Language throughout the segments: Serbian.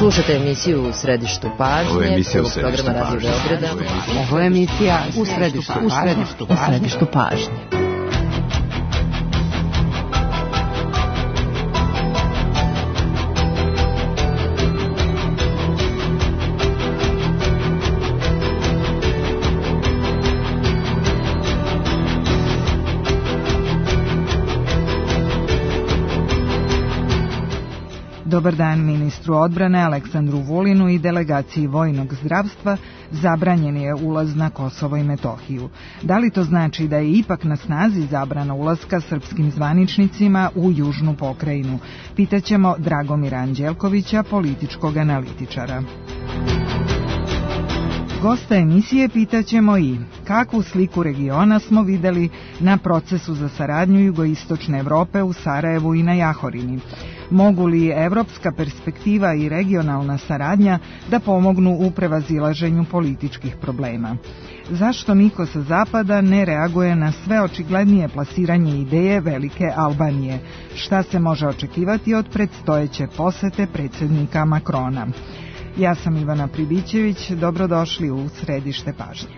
Slušajte emisiju U središtu pažnje. Ovo je emisija U središtu pažnje. Ovo je emisija U središtu pažnje. Dobar dan ministru odbrane Aleksandru Vulinu i delegaciji vojnog zdravstva zabranjen je ulaz na Kosovo i Metohiju. Da li to znači da je ipak na snazi zabrana ulaska srpskim zvaničnicima u južnu pokrajinu? Pitaćemo Dragomira Anđelkovića, političkog analitičara. Gosta emisije pitaćemo i kakvu sliku regiona smo videli na procesu za saradnju jugoistočne Evrope u Sarajevu i na Jahorini. Mogu li evropska perspektiva i regionalna saradnja da pomognu u prevazilaženju političkih problema? Zašto niko sa zapada ne reaguje na sve očiglednije plasiranje ideje Velike Albanije? Šta se može očekivati od predstojeće posete predsjednika Makrona? Ja sam Ivana Pribićević, dobrodošli u središte pažnje.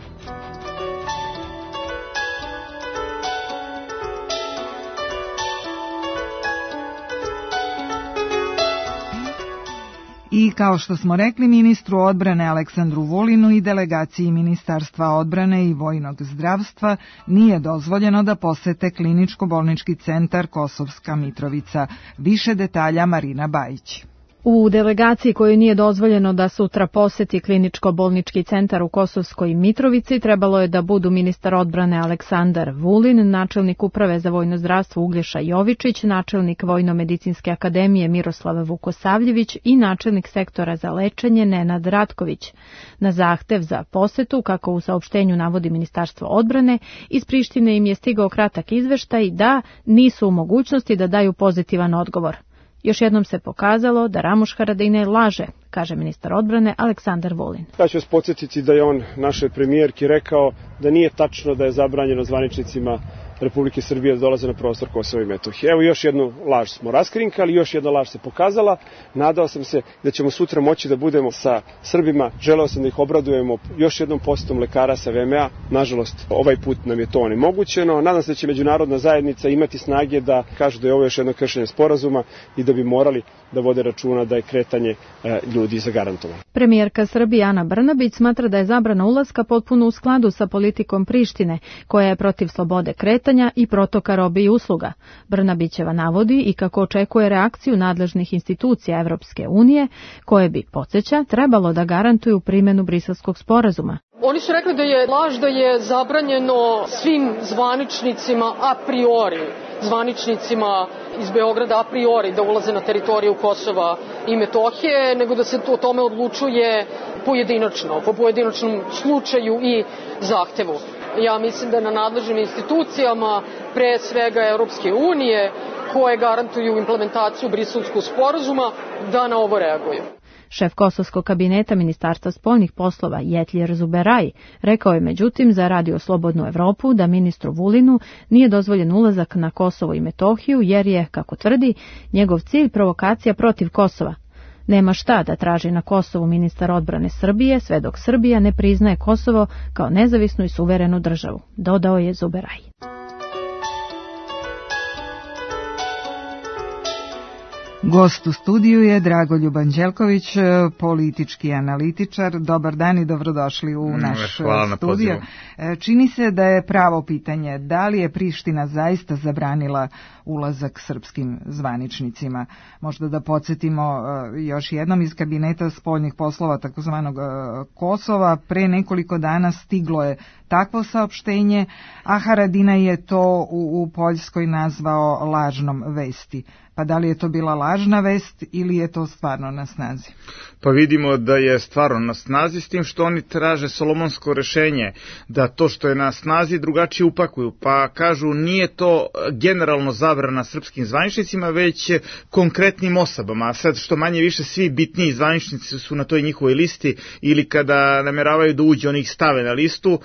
I kao što smo rekli, ministru odbrane Aleksandru Vulinu i delegaciji Ministarstva odbrane i vojnog zdravstva nije dozvoljeno da posete kliničko-bolnički centar Kosovska Mitrovica. Više detalja Marina Bajić. U delegaciji kojoj nije dozvoljeno da sutra poseti kliničko-bolnički centar u Kosovskoj Mitrovici trebalo je da budu ministar odbrane Aleksandar Vulin, načelnik uprave za vojno zdravstvo Uglješa Jovičić, načelnik Vojno-medicinske akademije Miroslav Vukosavljević i načelnik sektora za lečenje Nenad Ratković. Na zahtev za posetu, kako u saopštenju navodi Ministarstvo odbrane, iz Prištine im je stigao kratak izveštaj da nisu u mogućnosti da daju pozitivan odgovor. Još jednom se pokazalo da Ramuš Haradinaj laže, kaže ministar odbrane Aleksandar Vulin. Ja ću vas podsjetiti da je on našoj premijerki rekao da nije tačno da je zabranjeno zvaničnicima Republike Srbije da dolaze na prostor Kosova i Metohije. Evo još jednu laž smo raskrinkali, još jedna laž se pokazala. Nadao sam se da ćemo sutra moći da budemo sa Srbima. Želeo sam da ih obradujemo još jednom posetom lekara sa VMA. Nažalost, ovaj put nam je to onemogućeno. Nadam se da će međunarodna zajednica imati snage da kažu da je ovo još jedno kršenje sporazuma i da bi morali da vode računa da je kretanje ljudi zagarantovano. Premijerka Srbije Ana Brnabić smatra da je zabrana ulaska potpuno u skladu sa politikom Prištine, koja je protiv slobode kretanja i protoka robe i usluga. Brnabićeva navodi i kako očekuje reakciju nadležnih institucija Evropske unije, koje bi, podsjeća, trebalo da garantuju primjenu Briselskog sporazuma. Oni su rekli da je laž da je zabranjeno svim zvaničnicima a priori, zvaničnicima iz Beograda a priori da ulaze na teritoriju Kosova i Metohije, nego da se o tome odlučuje pojedinačno, po pojedinačnom slučaju i zahtevu. Ja mislim da na nadležnim institucijama, pre svega Europske unije, koje garantuju implementaciju Briselskog sporazuma, da na ovo reaguju. Šef kosovskog kabineta Ministarstva spoljnih poslova Jetljer Zuberaj rekao je međutim za Radio Slobodnu Evropu da ministru Vulinu nije dozvoljen ulazak na Kosovo i Metohiju jer je, kako tvrdi, njegov cilj provokacija protiv Kosova. Nema šta da traži na Kosovu ministar odbrane Srbije sve dok Srbija ne priznaje Kosovo kao nezavisnu i suverenu državu, dodao je Zuberaj. Gost u studiju je Dragoljub Anđelković, politički analitičar. Dobar dan i dobrodošli u naš studio. Čini se da je pravo pitanje da li je Priština zaista zabranila ulazak srpskim zvaničnicima. Možda da podsjetimo još jednom iz kabineta spoljnih poslova takozvanog Kosova. Pre nekoliko dana stiglo je takvo saopštenje, a Haradinaj je to u Poljskoj nazvao lažnom vesti. Pa da li je to bila lažna vest ili je to stvarno na snazi? Pa vidimo da je stvarno na snazi, s tim što oni traže solomonsko rešenje, da to što je na snazi drugačije upakuju. Pa kažu nije to generalno zabrana srpskim zvaničnicima, već konkretnim osobama. A sad što manje više svi bitniji zvaničnici su na toj njihovoj listi ili kada nameravaju da uđe oni ih stave na listu,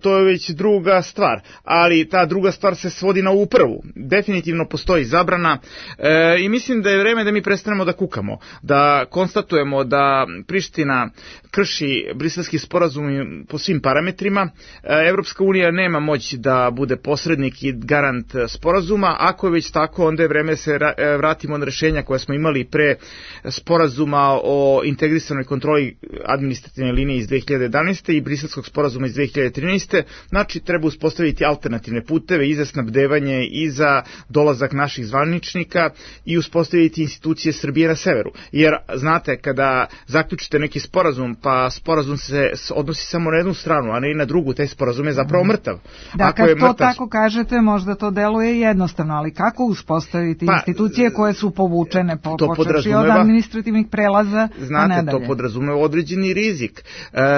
to je već druga stvar. Ali ta druga stvar se svodi na ovu prvu. Definitivno postoji zabrana. I mislim da je vreme da mi prestanemo da kukamo, da konstatujemo da Priština krši Briselski sporazum po svim parametrima. Evropska unija nema moć da bude posrednik i garant sporazuma. Ako je već tako, onda je vreme se vratimo na rešenja koje smo imali pre sporazuma o integrisanoj kontroli administrativne linije iz 2011. i Briselskog sporazuma iz 2013. Znači, treba uspostaviti alternativne puteve i za snabdevanje i za dolazak naših zvaničnika i uspostaviti institucije Srbije na severu. Jer, znate, kada zaključite neki sporazum, pa sporazum se odnosi samo na jednu stranu, a ne i na drugu, taj sporazum je zapravo mrtav. Da, kad to tako kažete, možda to deluje jednostavno, ali kako uspostaviti institucije koje su povučene počeši od administrativnih prelaza, znate, to podrazumeva određeni rizik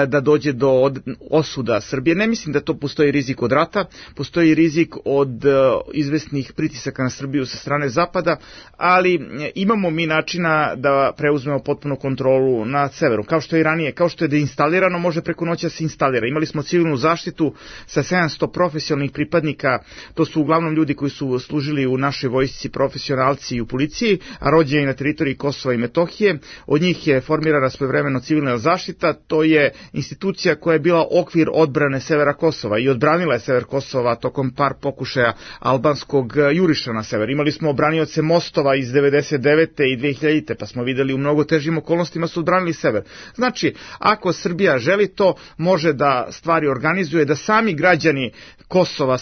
da dođe do osuda Srbije. Ne mislim da to postoji rizik od rata, postoji rizik od izvesnih pritisaka na Srbiju sa strane Zapada, ali imamo mi načina da preuzmemo potpunu kontrolu na severu, kao što je i ranije, kao što je deinstalirano, može preko noći da se instalira. Imali smo civilnu zaštitu sa 700 profesionalnih pripadnika, to su uglavnom ljudi koji su služili u našoj vojsci, profesionalci i u policiji, a rođeni na teritoriji Kosova i Metohije. Od njih je formirana svojevremeno civilna zaštita, to je institucija koja je bila okvir odbrane severa Kosova i odbranila je sever Kosova tokom par pokušaja albanskog juriša na sever. Imali smo branioce mostova iz 99. i 2000. pa smo videli u mnogo težim okolnostima su odbranili sever. Znači, ako Srbija želi to, može da stvari organizuje, da sami građani Kosova,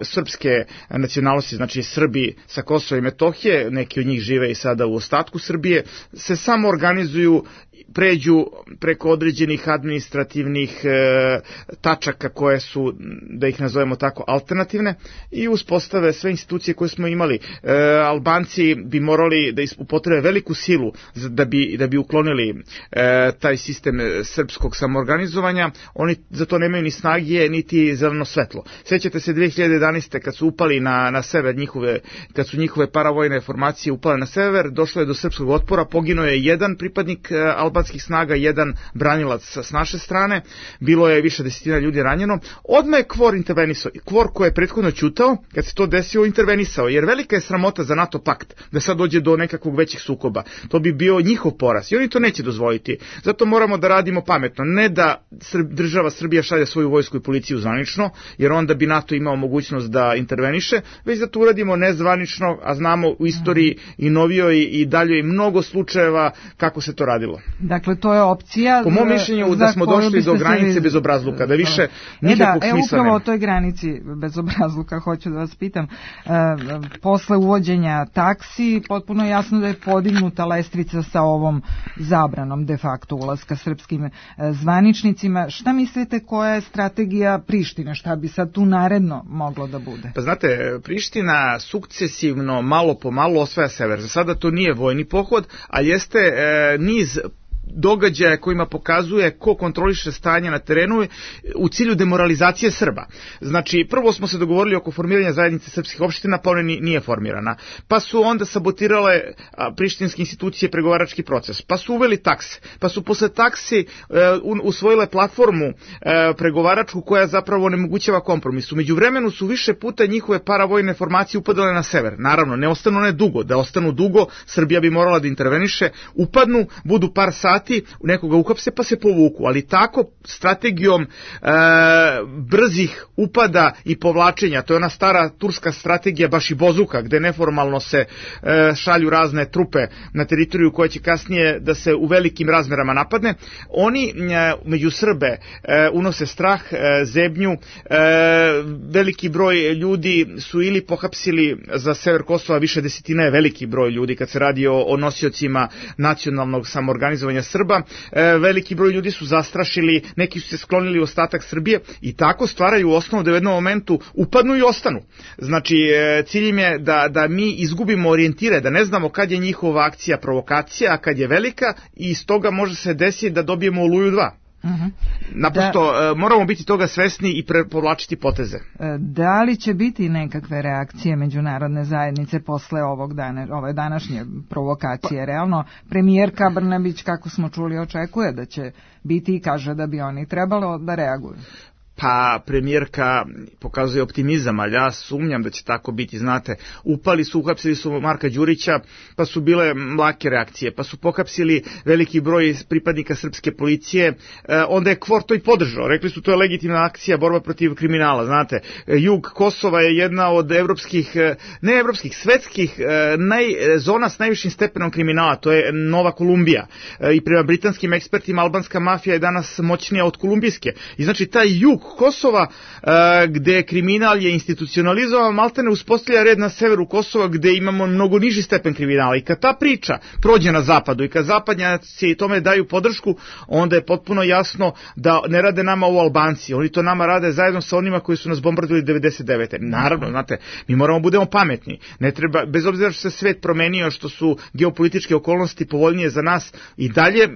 srpske nacionalnosti, znači Srbi sa Kosova i Metohije, neki od njih žive i sada u ostatku Srbije, se samo organizuju, pređu preko određenih administrativnih tačaka koje su, da ih nazovemo tako, alternativne i uspostave sve institucije koje smo imali. Albanci bi morali da upotrebe veliku silu da bi uklonili taj sistem srpskog samoorganizovanja. Oni za to nemaju ni snage, niti zeleno svetlo. Sjećate se 2011. kad su upali na sever kad su njihove paravojne formacije upale na sever, došlo je do srpskog otpora, poginuo je jedan pripadnik albanskih snaga, jedan branilac s naše strane, bilo je više desetina ljudi ranjeno. Odmah je KFOR intervenisao. KFOR koji je prethodno ćutao, kad se to desilo, intervenisao, jer velika je sramota za NATO pakt da sad dođe do nekakvog većih sukoba. To bi bio njihov poraz i oni to neće dozvoliti. Zato moramo da radimo pametno. Ne da država Srbija šalje svoju vojsku i policiju zvanično, jer onda bi NATO imao mogućnost da interveniše, već da to uradimo nezvanično, a znamo u istoriji i novijoj i daljoj mnogo slučajeva kako se to radilo. Dakle, to je opcija. Po mom mišljenju da smo došli do granice bezobrazluka, da više nikakvog smisla nema. Upravo o toj granici bezobrazluka hoću da vas pitam. Posle uvođenja taksi, potpuno jasno da je podignuta lestvica sa ovom zabranom de facto ulaska srpskim zvaničnicima. Šta mislite, koja je strategija Prištine? Šta bi sad tu naredno moglo da bude? Pa znate, Priština sukcesivno, malo po malo osvaja sever. Za sada to nije vojni pohod, ali jeste niz događaja kojima pokazuje ko kontroliše stanje na terenu u cilju demoralizacije Srba. Znači, prvo smo se dogovorili oko formiranja zajednice srpskih opština, pa ona nije formirana. Pa su onda sabotirale prištinske institucije pregovarački proces. Pa su uveli takse. Pa su posle taksi usvojile platformu pregovaračku koja zapravo onemogućava kompromis. Umeđu vremenu su više puta njihove paravojne formacije upadale na sever. Naravno, ne ostanu ne dugo. Da ostanu dugo, Srbija bi morala da interveniše. Upadnu, budu par sati, nekoga uhapse pa se povuku, ali tako strategijom brzih upada i povlačenja, to je ona stara turska strategija baš i bozuka, gde neformalno se šalju razne trupe na teritoriju koja će kasnije da se u velikim razmerama napadne. Oni među Srbe unose strah, zebnju, veliki broj ljudi su ili pohapsili za sever Kosova, više desetina je veliki broj ljudi kad se radi o nosiocima nacionalnog samoorganizovanja Srba, veliki broj ljudi su zastrašili, neki su se sklonili u ostatak Srbije i tako stvaraju osnovu da u jednom momentu upadnu i ostanu. Znači, cilj im je da mi izgubimo orijentire, da ne znamo kad je njihova akcija provokacija, a kad je velika i iz toga može se desiti da dobijemo Oluju 2. Naprosto moramo biti toga svesni i povlačiti poteze. Da li će biti nekakve reakcije međunarodne zajednice posle ove današnje provokacije? Realno, premijerka Brnabić, kako smo čuli, očekuje da će biti i kaže da bi oni trebalo da reaguju. pa premijerka pokazuje optimizam, ali ja sumnjam da će tako biti, znate, uhapsili su Marka Đurića, pa su bile lake reakcije, pa su pohapsili veliki broj pripadnika srpske policije, onda je KFOR to i podržao, rekli su to je legitimna akcija, borba protiv kriminala, znate, jug Kosova je jedna od svetskih zona s najvišim stepenom kriminala, to je Nova Kolumbija, i prema britanskim ekspertima albanska mafija je danas moćnija od kolumbijske, i znači taj jug Kosova gde kriminal je institucionalizovan, maltene uspostavlja red na severu Kosova gde imamo mnogo niži stepen kriminala, i kad ta priča prođe na zapadu i kad zapadnjaci tome daju podršku, onda je potpuno jasno da ne rade nama ovo Albanci, oni to nama rade zajedno sa onima koji su nas bombardili 99. Naravno, znate, mi moramo budemo pametni, ne treba, bez obzira što se svet promenio, što su geopolitičke okolnosti povoljnije za nas, i dalje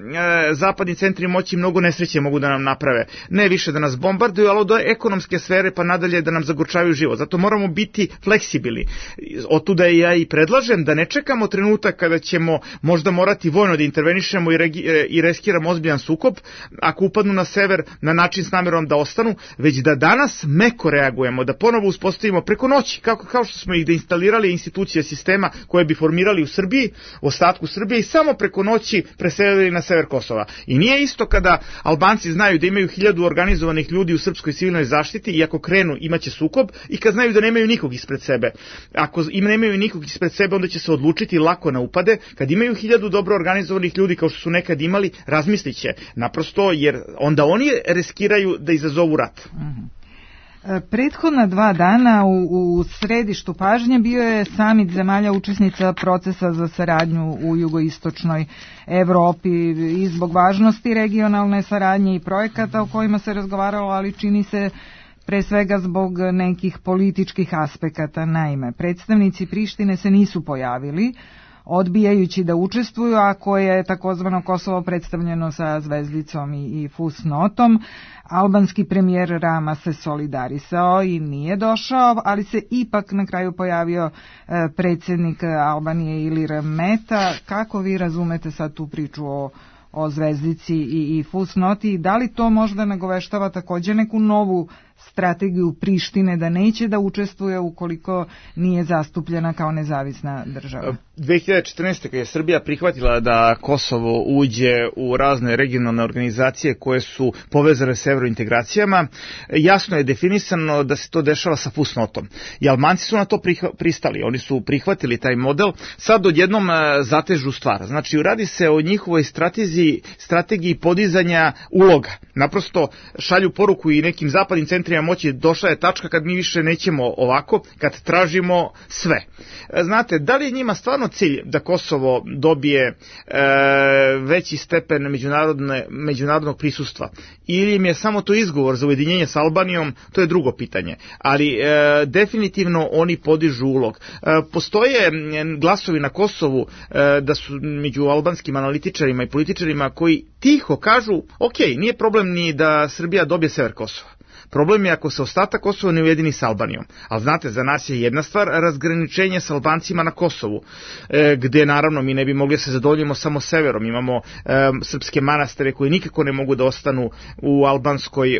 zapadni centri moći mnogo nesreće mogu da nam naprave, ne više da nas bombarduju, ali do ekonomske sfere pa nadalje da nam zagorčavaju život, zato moramo biti fleksibilni. Otuda ja i predlažem da ne čekamo trenutak kada ćemo možda morati vojno da intervenišemo i riskiramo ozbiljan sukob ako upadnu na sever na način s namerom da ostanu, već da danas meko reagujemo, da ponovo uspostavimo preko noći, kao što smo ih deinstalirali institucije sistema koje bi formirali u Srbiji, u ostatku Srbije, i samo preko noći preselili na sever Kosova. I nije isto kada Albanci znaju da imaju 1000 organizovanih ljudi u srpskoj civilnoj zaštiti i ako krenu imaće sukob, i kad znaju da nemaju nikog ispred sebe. Ako im nemaju nikog ispred sebe, onda će se odlučiti lako na upade. Kad imaju 1000 dobro organizovanih ljudi kao što su nekad imali, razmislit će naprosto, jer onda oni riskiraju da izazovu rat. Prethodna 2 dana u središtu pažnje bio je samit zemalja učesnica procesa za saradnju u jugoistočnoj Evropi, i zbog važnosti regionalne saradnje i projekata o kojima se razgovaralo, ali čini se pre svega zbog nekih političkih aspekata. Naime, predstavnici Prištine se nisu pojavili, odbijajući da učestvuju, ako je takozvano Kosovo predstavljeno sa zvezdicom i fusnotom. Albanski premijer Rama se solidarisao i nije došao, ali se ipak na kraju pojavio predsjednik Albanije Ilir Meta. Kako vi razumete sad tu priču o zvezdici i fusnoti? Da li to možda nagoveštava također neku novu strategiju Prištine da neće da učestvuje ukoliko nije zastupljena kao nezavisna država? 2014. kad je Srbija prihvatila da Kosovo uđe u razne regionalne organizacije koje su povezane s evrointegracijama, jasno je definisano da se to dešava sa fusnotom. I Albanci su na to pristali, oni su prihvatili taj model, sad odjednom zatežu stvar. Znači, radi se o njihovoj strategiji podizanja uloga. Naprosto šalju poruku i nekim zapadnim centrima moći, došla je tačka kad mi više nećemo ovako, kad tražimo sve. Znate, da li je njima stvarno cilj da Kosovo dobije veći stepen međunarodnog prisustva, ili im je samo to izgovor za ujedinjenje s Albanijom, to je drugo pitanje. Ali definitivno oni podižu ulog. Postoje glasovi na Kosovu da su među albanskim analitičarima i političarima koji tiho kažu, ok, nije problem ni da Srbija dobije sever Kosova. Problem je ako se ostatak Kosova ne ujedini s Albanijom. Ali znate, za nas je jedna stvar razgraničenje s Albancima na Kosovu, gde naravno mi ne bi mogli se zadovoljimo samo severom. Imamo srpske manastire koji nikako ne mogu da ostanu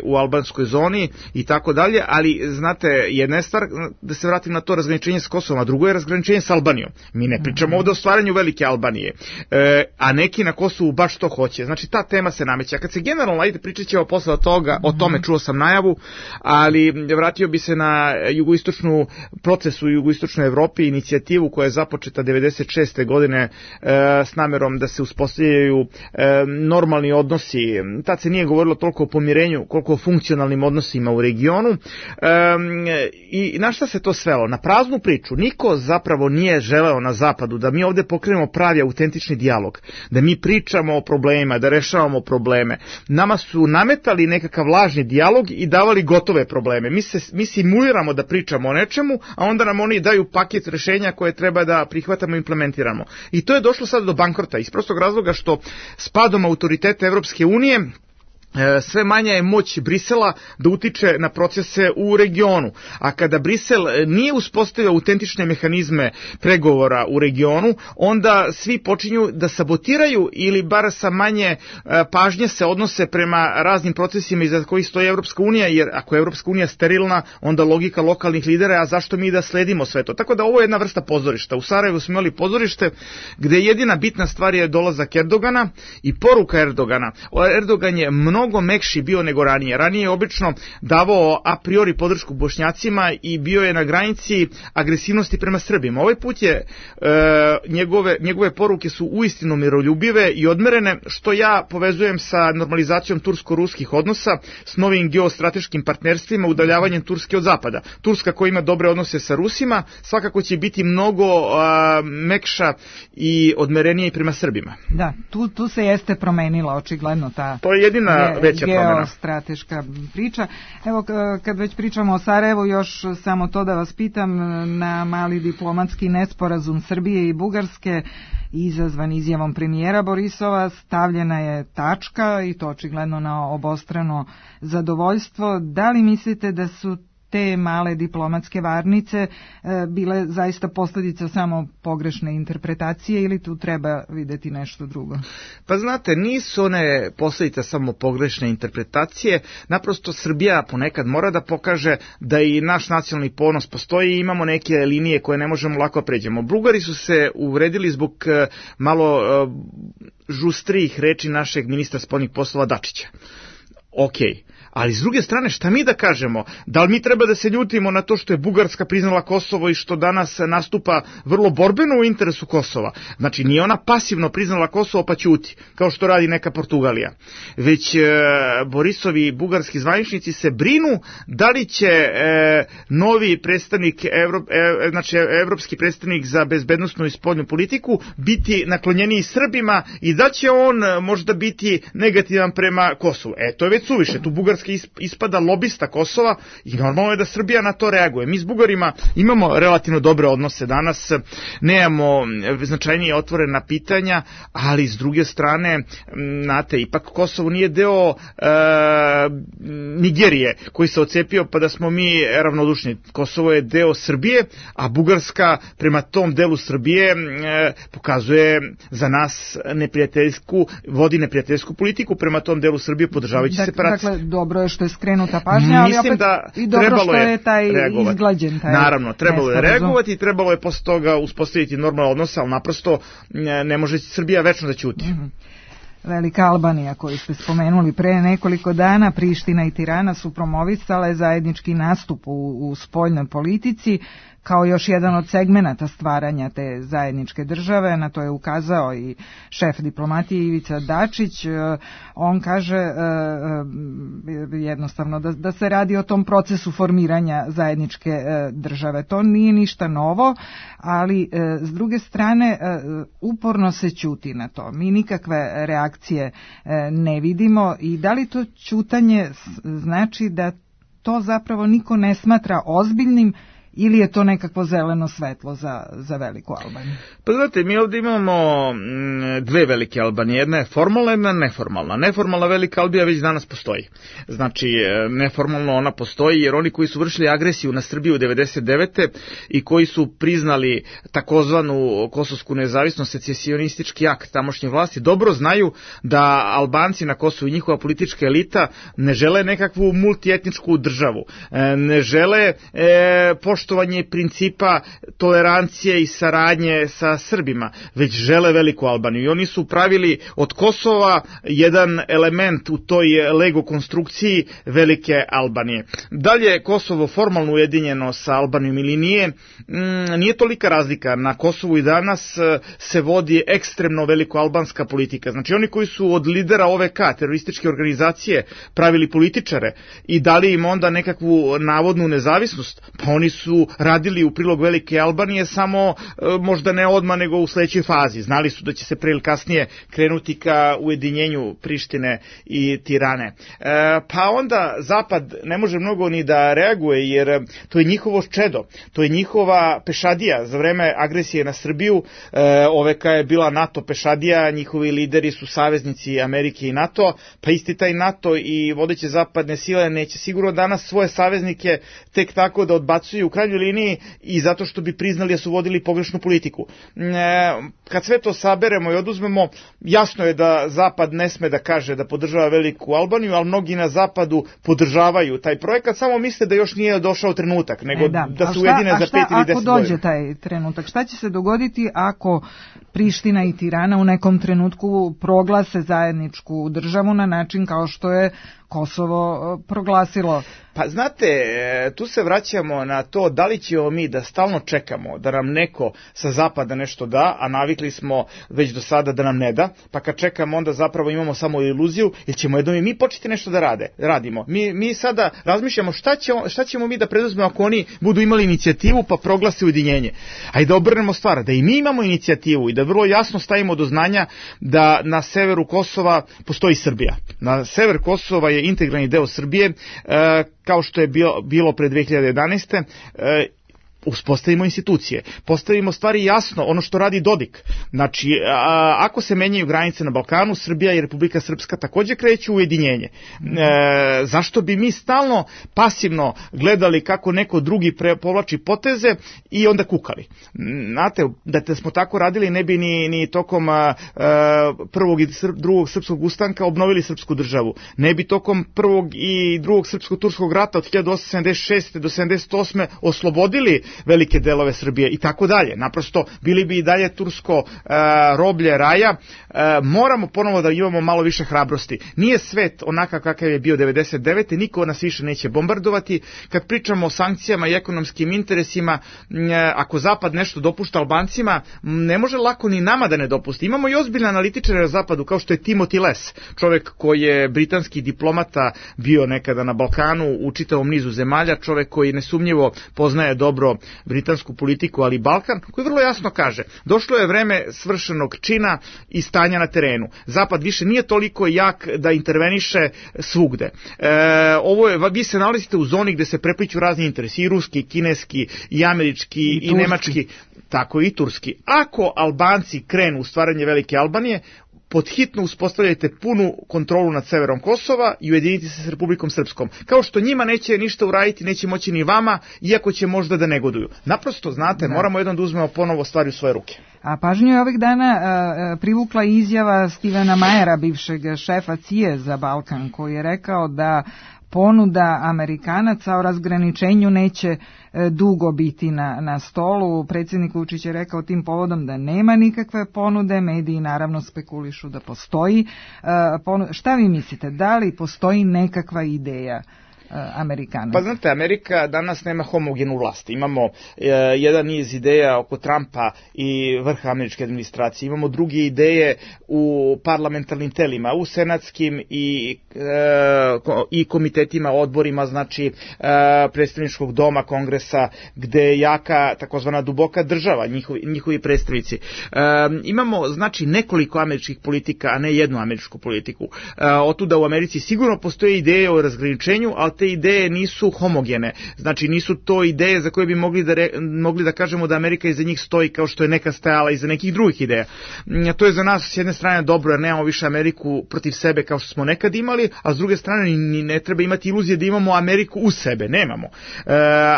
u albanskoj zoni i tako dalje, ali znate, jedna je stvar da se vratim na to razgraničenje s Kosovom, a drugo je razgraničenje s Albanijom. Mi ne pričamo ovdje o stvaranju velike Albanije, a neki na Kosovu baš to hoće. Znači, ta tema se nameće. A kad se generalno, ajde, pričat ćemo posle toga, o tome čuo sam najavu, ali vratio bi se na jugoistočnu procesu u jugoistočnoj Evropi, inicijativu koja je započeta 96. godine s namerom da se uspostavljaju normalni odnosi. Tad se nije govorilo toliko o pomirenju koliko o funkcionalnim odnosima u regionu, i na šta se to svelo? Na praznu priču. Niko zapravo nije želeo na zapadu da mi ovdje pokrenemo pravi autentični dijalog, da mi pričamo o problemima, da rešavamo probleme. Nama su nametali nekakav lažni dijalog i davali gotove probleme. Mi simuliramo da pričamo o nečemu, a onda nam oni daju paket rešenja koje treba da prihvatamo i implementiramo. I to je došlo sad do bankrota iz prostog razloga što s padom autoriteta Evropske unije sve manja je moć Brisela da utiče na procese u regionu. A kada Brisel nije uspostavio autentične mehanizme pregovora u regionu, onda svi počinju da sabotiraju ili bar sa manje pažnje se odnose prema raznim procesima iza kojih stoji Evropska unija, jer ako je Evropska unija sterilna, onda logika lokalnih lidera, a zašto mi da sledimo sve to? Tako da ovo je jedna vrsta pozorišta. U Sarajevu smo imali pozorište gde jedina bitna stvar je dolazak Erdogana i poruka Erdogana. Erdogan je mnogo mekši bio nego ranije. Ranije je obično davao a priori podršku Bošnjacima i bio je na granici agresivnosti prema Srbima. Ovaj put je njegove poruke su uistinu miroljubive i odmerene, što ja povezujem sa normalizacijom tursko-ruskih odnosa, s novim geostrateškim partnerstvima, udaljavanjem Turske od zapada. Turska koja ima dobre odnose sa Rusima, svakako će biti mnogo mekša i odmerenije i prema Srbima. Da, tu se jeste promenila očigledno ta... To je jedina veća promjena. Geostrateška priča. Evo, kad već pričamo o Sarajevu, još samo to da vas pitam, na mali diplomatski nesporazum Srbije i Bugarske izazvan izjavom premijera Borisova stavljena je tačka i to očigledno na obostrano zadovoljstvo. Da li mislite da su te male diplomatske varnice bile zaista posljedica samo pogrešne interpretacije ili tu treba vidjeti nešto drugo? Pa znate, nisu one posljedica samo pogrešne interpretacije, naprosto Srbija ponekad mora da pokaže da i naš nacionalni ponos postoji i imamo neke linije koje ne možemo lako pređemo. Bugari su se uvredili zbog malo žustrijih reči našeg ministra spoljnih poslova Dačića. Okej. Ali s druge strane, šta mi da kažemo? Da li mi treba da se ljutimo na to što je Bugarska priznala Kosovo i što danas nastupa vrlo borbeno u interesu Kosova? Znači, nije ona pasivno priznala Kosovo pa ćuti, kao što radi neka Portugalija. Već Borisovi bugarski zvaničnici se brinu da li će novi predstavnik, znači evropski predstavnik za bezbednosnu i spoljnu politiku biti naklonjeniji Srbima i da će on možda biti negativan prema Kosovu. To je već suviše, tu Bugarska ispada lobista Kosova i normalno je da Srbija na to reaguje. Mi s Bugarima imamo relativno dobre odnose danas, nemamo značajnije otvorena pitanja, ali s druge strane, znate, ipak Kosovo nije deo Nigerije koji se ocepio pa da smo mi ravnodušni. Kosovo je deo Srbije, a Bugarska prema tom delu Srbije pokazuje za nas vodi neprijateljsku politiku prema tom delu Srbije podržavajući separaciju. Dakle, dobro je što je skrenuta pažnja, ali mislim opet da i dobro što je taj reagovati. Izglađen taj. Naravno, trebalo je reagovati i trebalo je posle toga uspostaviti normalan odnos, ali naprosto ne može Srbija večno da ćuti. Velika Albanija koju ste spomenuli pre nekoliko dana, Priština i Tirana su promovisale zajednički nastup u spoljnoj politici kao još jedan od segmenata stvaranja te zajedničke države. Na to je ukazao i šef diplomatije Ivica Dačić. On kaže jednostavno da se radi o tom procesu formiranja zajedničke države. To nije ništa novo, ali s druge strane uporno se ćuti na to. Mi nikakve reakcije ne vidimo i da li to ćutanje znači da to zapravo niko ne smatra ozbiljnim ili je to nekakvo zeleno svetlo za veliku Albaniju? Pa znate, mi ovdje imamo dve velike Albanije. Jedna je formalna, jedna je neformalna. Neformalna velika Albanija već danas postoji. Znači, neformalno ona postoji jer oni koji su vršili agresiju na Srbiju 1999. i koji su priznali takozvanu kosovsku nezavisnost, secesionistički akt tamošnje vlasti, dobro znaju da Albanci na Kosovu i njihova politička elita ne žele nekakvu multietničku državu. Ne žele poštovanje principa tolerancije i saradnje sa Srbima, već žele veliku Albaniju. I oni su pravili od Kosova jedan element u toj Lego konstrukciji velike Albanije. Dalje, Kosovo formalno ujedinjeno sa Albanijom ili nije tolika razlika. Na Kosovu i danas se vodi ekstremno veliko albanska politika. Znači oni koji su od lidera OVK, terorističke organizacije, pravili političare i dali im onda nekakvu navodnu nezavisnost, pa oni su su radili u prilog Velike Albanije, samo možda ne odmah nego u sledećoj fazi. Znali su da će se pre ili kasnije krenuti ka ujedinjenju Prištine i Tirane. Pa onda Zapad ne može mnogo ni da reaguje, jer to je njihovo čedo, to je njihova pešadija za vreme agresije na Srbiju. OVK je bila NATO pešadija, njihovi lideri su saveznici Amerike i NATO, pa isti taj NATO i vodeće zapadne sile neće sigurno danas svoje saveznike tek tako da odbacuju u krajnjoj liniji i zato što bi priznali da su vodili pogrešnu politiku. Kad sve to saberemo i oduzmemo, jasno je da Zapad ne sme da kaže da podržava Veliku Albaniju, ali mnogi na Zapadu podržavaju taj projekat, samo misle da još nije došao trenutak, nego da se ujedine za 5 ili 10 godina. Ako dođe taj trenutak, šta će se dogoditi ako Priština i Tirana u nekom trenutku proglase zajedničku državu na način kao što je Kosovo proglasilo? Pa znate, tu se vraćamo na to da li ćemo mi da stalno čekamo da nam neko sa zapada nešto da, a navikli smo već do sada da nam ne da, pa kad čekamo onda zapravo imamo samo iluziju, ili ćemo jednom i mi početi nešto da radimo. Mi sada razmišljamo šta ćemo mi da preduzmemo ako oni budu imali inicijativu pa proglase ujedinjenje. Ajde da obrnemo stvar, da i mi imamo inicijativu i da vrlo jasno stavimo do znanja da na severu Kosova postoji Srbija. Na sever Kosova je integralni deo Srbije, kao što je bilo pre 2011. Uspostavimo institucije, postavimo stvari jasno, ono što radi Dodik. Znači, ako se menjaju granice na Balkanu, Srbija i Republika Srpska takođe kreću u ujedinjenje. Zašto bi mi stalno pasivno gledali kako neko drugi povlači poteze i onda kukali? Znate, da smo tako radili, ne bi ni tokom prvog i drugog srpskog ustanka obnovili srpsku državu. Ne bi tokom prvog i drugog srpsko-turskog rata od 1876. do 78. oslobodili velike delove Srbije i tako dalje. Naprosto bili bi i dalje tursko roblje raja. Moramo ponovo da imamo malo više hrabrosti. Nije svet onakav kakav je bio 99. Niko nas više neće bombardovati. Kad pričamo o sankcijama i ekonomskim interesima, ako Zapad nešto dopušta Albancima, ne može lako ni nama da ne dopusti. Imamo i ozbiljne analitičare na Zapadu, kao što je Timothy Les, čovek koji je britanski diplomata, bio nekada na Balkanu u čitavom nizu zemalja, čovek koji nesumnjivo poznaje dobro britansku politiku, ali i Balkan, koji vrlo jasno kaže, došlo je vreme svršenog čina i stanja na terenu. Zapad više nije toliko jak da interveniše svugde. Vi se nalazite u zoni gde se prepliću razni interesi, i ruski, i kineski, i američki, i nemački, tako i turski. Ako Albanci krenu u stvaranje Velike Albanije, podhitno uspostavljajte punu kontrolu nad severom Kosova i ujediniti se s Republikom Srpskom. Kao što njima neće ništa uraditi, neće moći ni vama, iako će možda da negoduju. Naprosto, znate, moramo jednom da uzmemo ponovo stvari u svoje ruke. A pažnju je ovih dana privukla izjava Stevena Majera, bivšeg šefa CIA za Balkan, koji je rekao da ponuda Amerikanaca o razgraničenju neće dugo biti na stolu. Predsjednik Vučić je rekao tim povodom da nema nikakve ponude, mediji naravno spekulišu da postoji. Šta vi mislite, da li postoji nekakva ideja Amerikanaca? Pa znate, Amerika danas nema homogenu vlast. Imamo jedan niz ideja oko Trumpa i vrha američke administracije. Imamo druge ideje u parlamentarnim telima, u senatskim i komitetima, odborima, znači predstavničkog doma, kongresa, gde je jaka takozvana duboka država, njihovi predstavnici. Imamo, znači, nekoliko američkih politika, a ne jednu američku politiku. Otuda u Americi sigurno postoje ideje o razgraničenju, ali te ideje nisu homogene. Znači, nisu to ideje za koje bi mogli da kažemo da Amerika iza njih stoji kao što je neka stajala iza nekih drugih ideja. To je za nas s jedne strane dobro, jer nemamo više Ameriku protiv sebe kao što smo nekad imali, a s druge strane ni ne treba imati iluzije da imamo Ameriku u sebe. Nemamo.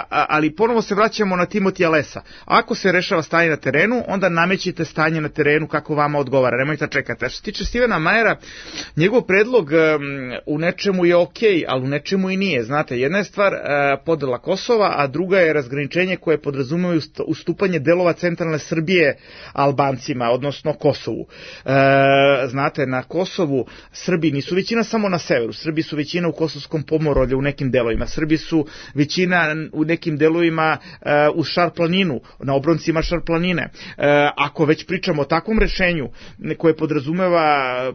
Ali ponovo se vraćamo na Timothya Lesa. Ako se rešava stanje na terenu, onda namećite stanje na terenu kako vama odgovara. Nemojte da čekate. A što se tiče Stevena Majera, njegov predlog u nečemu je okej, ali u nečemu i nije. Znate, jedna je stvar podela Kosova, a druga je razgraničenje koje podrazumeva ustupanje delova centralne Srbije Albancima, odnosno Kosovu. Znate, na Kosovu Srbi nisu većina samo na severu. Srbi su većina u Kosovskom pomoravlju u nekim delovima. Srbi su većina u nekim delovima uz Šar-planinu, na obroncima Šar-planine. Ako već pričamo o takvom rešenju koje podrazumeva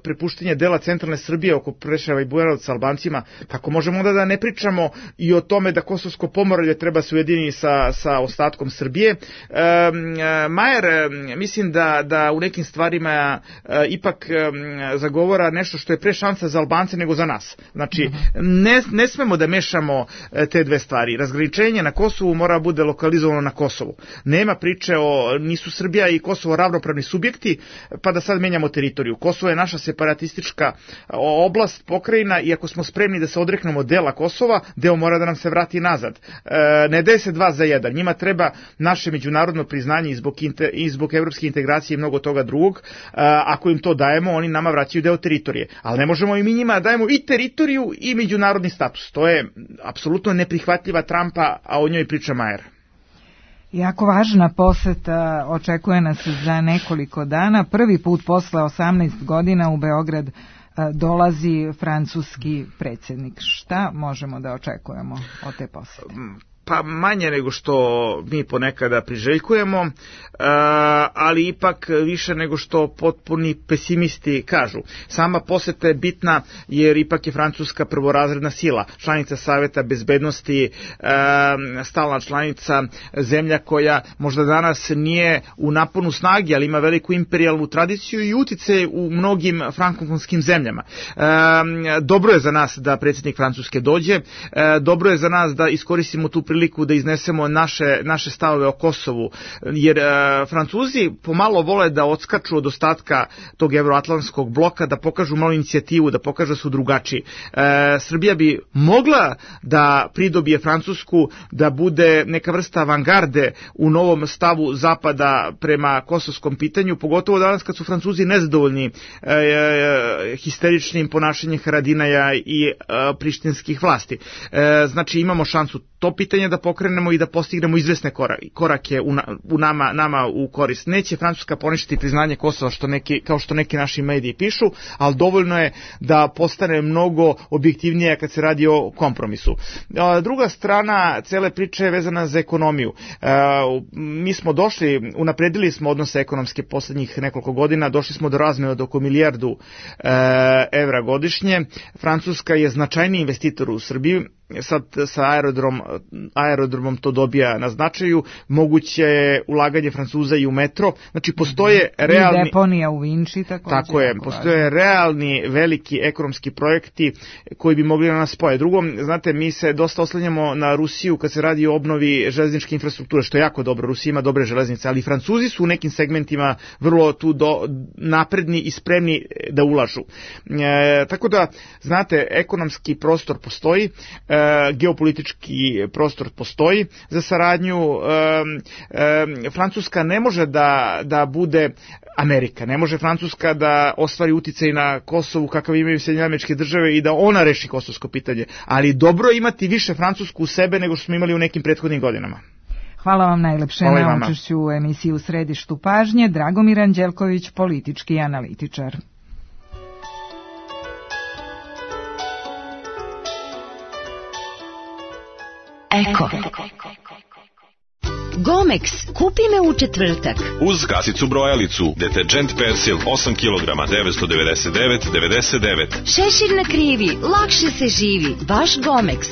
prepuštenje dela centralne Srbije oko Preševa i Bujanovca Albancima, kako možemo onda da ne pričamo i o tome da Kosovsko pomoravlje treba se ujediniti sa ostatkom Srbije. Majer, mislim da u nekim stvarima ipak zagovara nešto što je pre šansa za Albance nego za nas. Znači, ne smemo da mešamo te dve stvari. Razgraničenje na Kosovu mora bude lokalizovano na Kosovu. Nema priče nisu Srbija i Kosovo ravnopravni subjekti, pa da sad menjamo teritoriju. Kosovo je naša separatistička oblast, pokrajina, i ako smo spremni da se odreknemo dela Kosova, deo mora da nam se vrati nazad. Ne daje se 2 za 1. Njima treba naše međunarodno priznanje i zbog evropske integracije i mnogo toga drugog. Ako im to dajemo, oni nama vraćaju deo teritorije. Ali ne možemo i mi njima dajemo i teritoriju i međunarodni status. To je apsolutno neprihvatljiva trampa, a o njoj priča Majer. Jako važna poseta očekuje nas za nekoliko dana. Prvi put posle 18 godina u Beograd dolazi francuski predsjednik. Šta možemo da očekujemo od te posete? Pa manje nego što mi ponekada priželjkujemo, ali ipak više nego što potpuni pesimisti kažu. Sama poseta je bitna jer ipak je Francuska prvorazredna sila, članica Saveta bezbednosti, stalna članica, zemlja koja možda danas nije u naponu snage, ali ima veliku imperijalnu tradiciju i utice u mnogim frankofonskim zemljama. Dobro je za nas da predsjednik Francuske dođe, dobro je za nas da iskoristimo tu priliku da iznesemo naše stavove o Kosovu, jer Francuzi pomalo vole da odskaču od ostatka tog evroatlantskog bloka, da pokažu malo inicijativu, da pokažu da su drugačiji. Srbija bi mogla da pridobije Francusku, da bude neka vrsta avangarde u novom stavu Zapada prema kosovskom pitanju, pogotovo danas kad su Francuzi nezadovoljni histeričnim ponašanjem Haradinaja i prištinskih vlasti. Znači imamo šansu to pitanje da pokrenemo i da postignemo izvesne korake u nama u korist. Neće Francuska poništiti priznanje Kosova kao što neki naši mediji pišu, ali dovoljno je da postane mnogo objektivnije kad se radi o kompromisu. Druga strana cele priče je vezana za ekonomiju. Mi smo unapredili smo odnose ekonomske poslednjih nekoliko godina, došli smo do razmene od oko milijardu evra godišnje. Francuska je značajni investitor u Srbiji, sad sa aerodromom to dobija na značaju, moguće je ulaganje Francuza i u metro, znači postoje realni... I deponija u Vinči također. Tako je, postoje realni veliki ekonomski projekti koji bi mogli da nas spoje. Drugo, znate, mi se dosta oslanjamo na Rusiju kad se radi o obnovi železničke infrastrukture, što je jako dobro, Rusija ima dobre železnice, ali Francuzi su u nekim segmentima vrlo tu napredni i spremni da ulažu. Tako da, znate, ekonomski prostor postoji, geopolitički prostor postoji za saradnju. Francuska ne može da bude Amerika, ne može Francuska da ostvari uticaj na Kosovu kakav imaju Sjedinjene Američke Države i da ona reši kosovsko pitanje, ali dobro je imati više Francusku u sebe nego što smo imali u nekim prethodnim godinama. Hvala vam najlepše na učešću u emisiji U središtu pažnje. Dragomir Anđelković, politički analitičar. Eko. Gomex, kupi me u četvrtak. Uz kasicu brojalicu, deterđent Persil 8 kg 999,99. Šešir na krivi, lakše se živi, baš Gomex.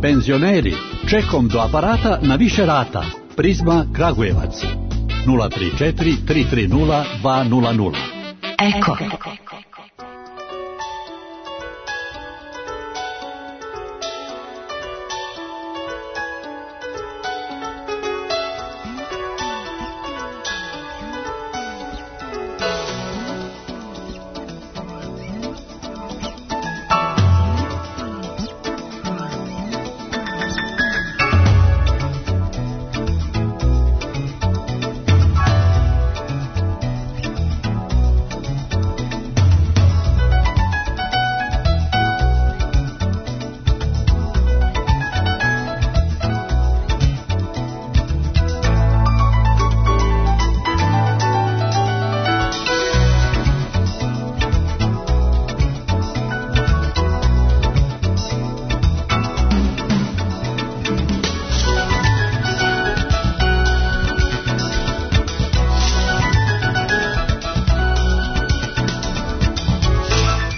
Penzioneri, čekom do aparata na više rata. Prizma Kragujevac 034 330 200. Eko.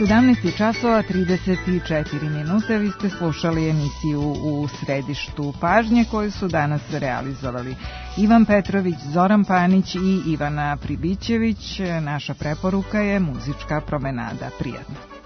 17 časova 34 minute. Vi ste slušali emisiju U središtu pažnje koju su danas realizovali Ivan Petrović, Zoran Panić i Ivana Pribićević. Naša preporuka je muzička promenada. Prijatno.